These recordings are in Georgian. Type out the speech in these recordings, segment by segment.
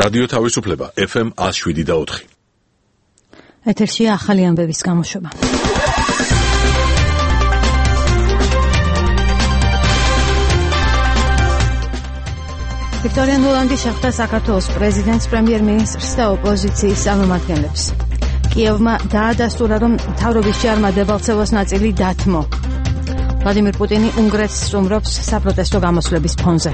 რადიო თავისუფლება FM 107.4. ეთერშია ახალი ამბების გამოშვება. ვიქტორია ნულანდი შეხვდა საქართველოს პრეზიდენტს, პრემიერ-მინისტრს და ოპოზიციის წარმომადგენლებს. კიევმა დაადასტურა, რომ მთავრობის ჯარმა დებალცევოს ნაწილი დათმო. ვლადიმირ პუტინი უნგრეთს სტუმრობს საპროტესტო გამოსვლების ფონზე.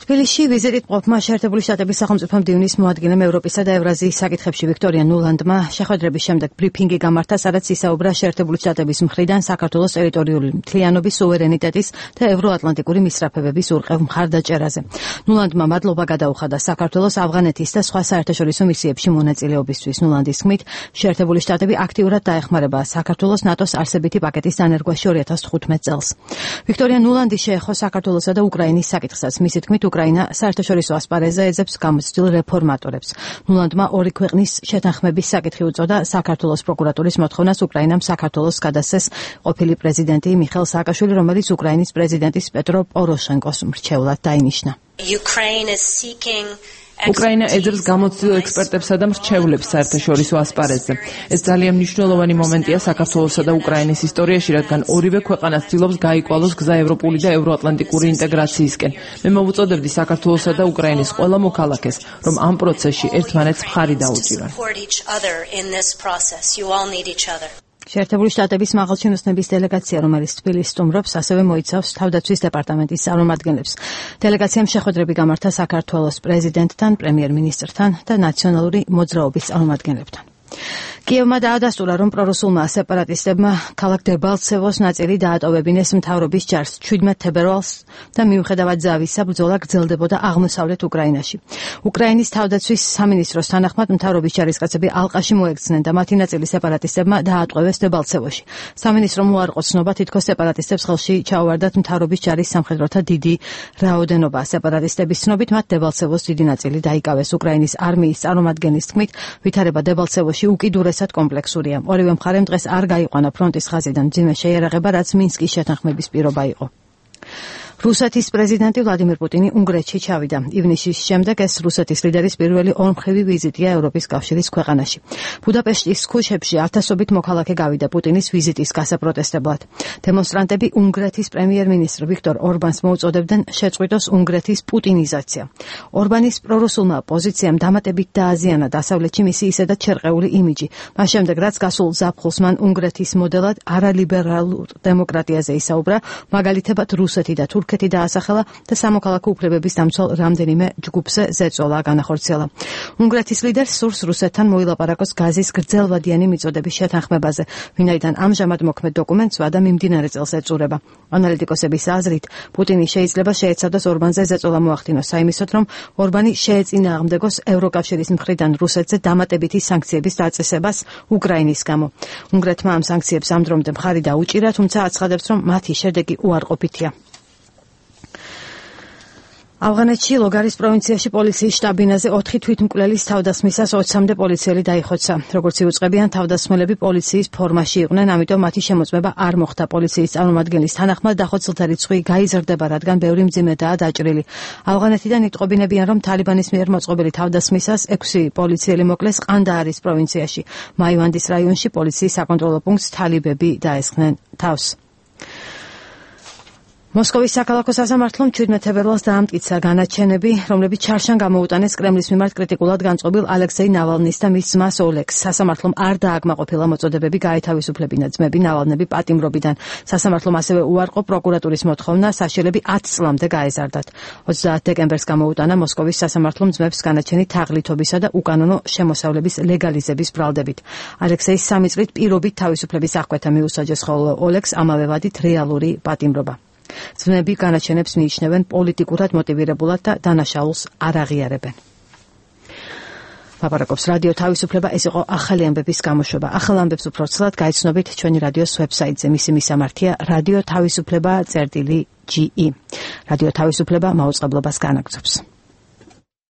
თბილისში ვიზიტით მყოფმა შეერთებული შტატების სახელმწიფო მდივნის მოადგილემ ევროპისა და ევრაზიის საკითხებში ვიქტორია ნულანდმა შეხვედრების შემდეგ ბრიფინგი გამართა, სადაც ისაუბრა შეერთებული შტატების მხრიდან საქართველოს ტერიტორიული მთლიანობის, სუვერენიტეტის და ევროატლანტიკური მისწრაფებების ურყევ მხარდაჭერაზე. ნულანდმა მადლობა გადაუხადა საქართველოს, ავღანეთის და სხვა საერთაშორისო მისიებში მონაწილეობისთვის. ნულანდის თქმით, შეერთებული შტატები აქტიურად დაეხმარება საქართველოს ნატოს არსებითი პაკეტის დანერგვაში 2015 წელს. ვიქტორია ნულანდი შეეხო საქართველოსა და უკრაინის საკითხსაც. მისი თქმით, უკრაინა საერთაშორისო ასპარეზზე ეძებს გამოცდილ რეფორმატორებს. ნულანდმა ორი ქვეყნის შეთანხმების საკითხი უწოდა. საქართველოს პროკურატურის მოთხოვნას უკრაინამ საქართველოს გადასცეს ყოფილი პრეზიდენტი მიხეილ სააკაშვილი, რომელიც უკრაინის პრეზიდენტის პეტრო პოროშენკოს მრჩევლად დაინიშნა. უკრაინა ეძებს გამოცდილ ექსპერტებსა და მრჩევლებს საერთაშორისო ასპარეზზე. ეს ძალიან მნიშვნელოვანი მომენტია საქართველოსა და უკრაინის ისტორიაში, რადგან ორივე ქვეყანა ცდილობს გაიკვალოს გზა ევროპული და ევროატლანტიკური ინტეგრაციისკენ. მე მოვუწოდებდი საქართველოსა და უკრაინის ყველა მოქალაქეს, რომ ამ პროცესში ერთმანეთს მხარი დაუჭირან. შეერთებული შტატების მაღალჩინოსნების დელეგაცია, რომელიც თბილისს სტუმრობს, ასევე მოიცავს თავდაცვის დეპარტამენტის წარმომადგენლებს. დელეგაციამ შეხვედრები გამართა საქართველოს პრეზიდენტთან, პრემიერ-მინისტრთან და ნაციონალური მოძრაობის წარმომადგენლებთან. კიევმა დაადასტურა, რომ პრორუსულმა სეპარატისტებმა ქალაქ დებალცევოს ნაწილი დაატოვებინეს მთავრობის ჯარს 17 თებერვალს და მიუხედავად ზავისა, ბრძოლა გრძელდებოდა აღმოსავლეთ უკრაინაში. უკრაინის თავდაცვის სამინისტროს თანახმად, მთავრობის ჯარისკაცები ალყაში მოექცნენ და მათი ნაწილი სეპარატისტებმა დაატყვევეს დებალცევოში. სამინისტრომ უარყო ცნობა, თითქოს სეპარატისტებს ხელში ჩაუვარდათ მთავრობის ჯარის სამხედროთა დიდი რაოდენობა. სეპარატისტების ცნობით, მათ დებალცევოს დიდი ნაწილი დაიკავეს. უკრაინის არმიის წარმომადგენლის თქმით, ვითარება დებალცევოში უკიდურესად კომპლექსურია. ორივე მხარემ დღეს არ გაიყვანა ფრონტის ხაზიდან მძიმე შეიარაღება, რაც მინსკის შეთანხმების პირობა იყო. რუსეთის პრეზიდენტი ვლადიმირ პუტინი უნგრეთში ჩავიდა. ივნისის შემდეგ ეს რუსეთის ლიდერის პირველი ორმხრივი ვიზიტია ევროპის კავშირის ქვეყანაში. ბუდაპეშტის ქუჩებში ათასობით მოქალაქე გავიდა პუტინის ვიზიტის გასაპროტესტებლად. დემონსტრანტები უნგრეთის პრემიერ-მინისტრ ვიქტორ ორბანს მოუწოდებდნენ შეწყვიტოს უნგრეთის პუტინიზაცია. ორბანის პრორუსულმა პოზიციამ დამატებით დააზიანა დასავლეთში მისი ისედაც შერყეული იმიჯი. მას შემდეგ, რაც გასულ ზაფხულს მან უნგრეთის მოდელად არალიბერალურ დემოკრატიაზე ისაუბრა, მაგალითებად რუსეთი და თურქეთი დაასახელა და სამოქალაქო უფლებების დამცველ რამდენიმე ჯგუფზე ზეწოლა განახორციელა. უნგრეთის ლიდერს სურს რუსეთთან მოილაპარაკოს გაზის გრძელვადიანი მიწოდების შეთანხმებაზე, ვინაიდან ამჟამად მოქმედ დოკუმენტს ვადა მიმდინარე წელს ეწურება. ანალიტიკოსების აზრით, პუტინი შეიძლება შეეცადოს ორბანზე ზეწოლა მოახდინოს საიმისოდ, რომ ორბანი შეეწინააღმდეგოს ევროკავშირის მხრიდან რუსეთზე დამატებითი სანქციების დაწესებას უკრაინის გამო. უნგრეთმა ამ სანქციებს ამ დრომდე მხარი დაუჭირა, თუმცა აცხადებს, რომ მათი შედეგი უარყოფითია. ავღანეთში ლოგარის პროვინციაში პოლიციის შტაბინაზე 4 თვითმკვლელის თავდასხმისას 20-მდე პოლიციელი დაიხოცა. როგორც იუწყებიან, თავდასხმელები პოლიციის ფორმაში იყვნენ, ამიტომ მათი შემოწმება არ მოხდა. პოლიციის წარმომადგენლის თანახმად დახოცილთა რიცხვი გაიზრდება, რადგან ბევრი მძიმედაა დაჭრილი. ავღანეთიდან იტყობინებიან, რომ თალიბანის მიერ მოწყობილი თავდასხმისას 6 პოლიციელი მოკლეს ყანდაარის პროვინციაში. მაივანდის რაიონში პოლიციის საკონტროლო პუნქტს თალიბები დაესხნენ თავს. მოსკოვის საქალაქო სასამართლომ 17 თებერვალს დაამტკიცა განაჩენები, რომლებიც ჩარშან გამოუტანეს კრემლის მიმართ კრიტიკულად განწყობილ ალექსეი ნავალნის და მის ძმას ოლეგს. სასამართლომ არ დააკმაყოფილა მოწოდებები გაეთავისუფლებინა ძმები ნავალნები პატიმრობიდან. სასამართლომ ასევე უარყო პროკურატურის მოთხოვნა საშელები 10 წლამდე გაეზარდათ. 30 დეკემბერს გამოუტანა მოსკოვის სასამართლომ ძმებს განაჩენი თაღლითობისა და უკანონო შემოსავლების ლეგალიზების ბრალდებით. ალექსეის 3 წლით პირობით თავისუფლების აღკვეთა მიუსაჯეს, ხოლო ოლეგს ამავე ვადით რეალური პატიმრობა. ძმები განაჩენებს მიიჩნევენ პოლიტიკურად მოტივირებულად და დანაშაულს არ აღიარებენ. ლაპარაკობს რადიო თავისუფლება, ეს იყო ახალი ამბების გამოშვება. ახალ ამბებს უფრო ცლად გაიცნობით ჩვენი რადიოს ვებსაიტზე. მისი მისამართია რადიო თავისუფლება.ge. რადიო თავისუფლება მაუწყებლობას განაგრძობს.